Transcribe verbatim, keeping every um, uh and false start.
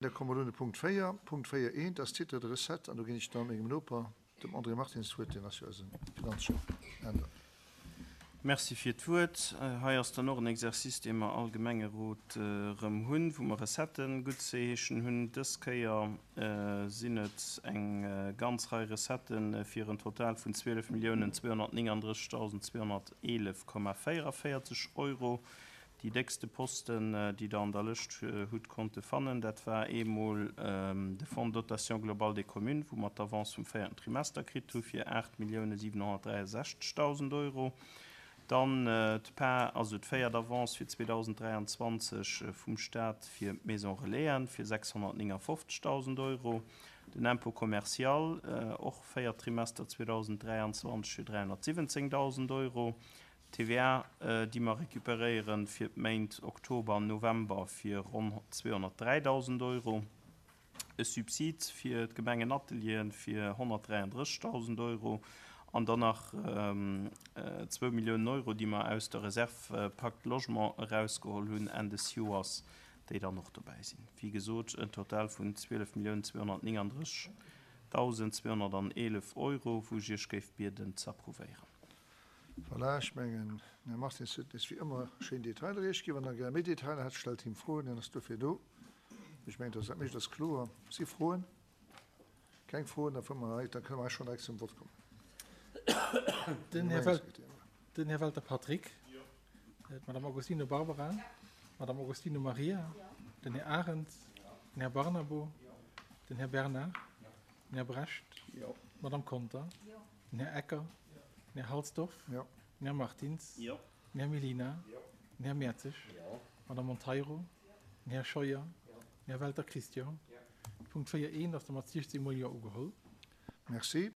Da komme mer elo un de Punkt véier. Punkt véier eent ass Titre de recettes an do ginn ech da mengem Noper, dem André Martins, d'Wuert, deen ass jo eise Finanzchef. Änder. Merci fir d'Wuert. Hei ass dann och en Exercice, dee mer all Gemengerot erëm hunn, wou mer Recetten guttzeheeschen hunn. Dës Kéier sinn et eng ganz Rei Recetten fir en Total vun zwielef Milliounen zweehonnertnénganddrëssigtausend zweehonnerteelef Komma véierevierzeg Euro. Déi déckste Posten, déi Der an der Lëscht hutt konnte fannen, dat war eemol de Fonds de dotation globale des communes, wou mer d'Avance vum véierten Trimester kritt hu fir aacht Milliounen siwenhonnertdräiesechzegtausend Euro. Dann d'PAR, also d'véiert Avance fir zweedausenddräianzwanzeg vum Stat fir d'Maison Relaisen fir sechshonnertnéngafofzegtausend Euro. Den Impôt commercial, och véiert Trimester zweedausenddräianzwanzeg fir dräihonnertsiwwenzéngtausend Euro. T V A, déi mer recuperéieren fir d'Méint Oktober an November fir ronn zweehonnertdräidausend Euro. E Subsid fir d'Gemengenatelieren fir honnertdräianddrëssigtausend Euro an dann nach zwou Milliounen Euro, déi mer aus der Reserve Pacte Logement erausgeholl hunn Enn des Joers, déi dann och dobäi sinn. Wéi gesot, en Total vun zwielef Milliounen zweehonnertnénganddrëssigtausend zweehonnerteelef Euro, wou ech Iech géif bieden ze approuvéieren. Voilà, ech mengen, den Här Martins huet nees wéi ëmmer schéin Detailer Iech ginn. Wann Der gär méi Detailer hätt, stellt him Froen, hien ass dofir do. Ech mengen, dass dat meescht ass kloer. Si Froen? Keng Froen, da fuere mer hei, da kënne mer hei schonn direkt zum Vott kommen. Den Här Wel, den Här Welter Patrick. Jo. D'Madame Agostino Barbara. Jo. D'Madame Agostino Maria. Jo. Den Här Arendt. Jo. Den Här Barnabo. Jo. Den Här Bernard. Jo. Den Här Brecht. Jo. D'Madame Conter. Jo. Den Här Ecker. Jo. Den Här Halsdorf. Jo. Den Här Martins. Jo. Den Här Mellina. Jo. Den Här Mertzig. Jo. D'Madame Monteiro. Jo. Den Här Scheuer. Jo. Den Här Welter Christian. Jo. Punkt véier eent ass da mat siechzéng mol Jo ugeholl. Merci.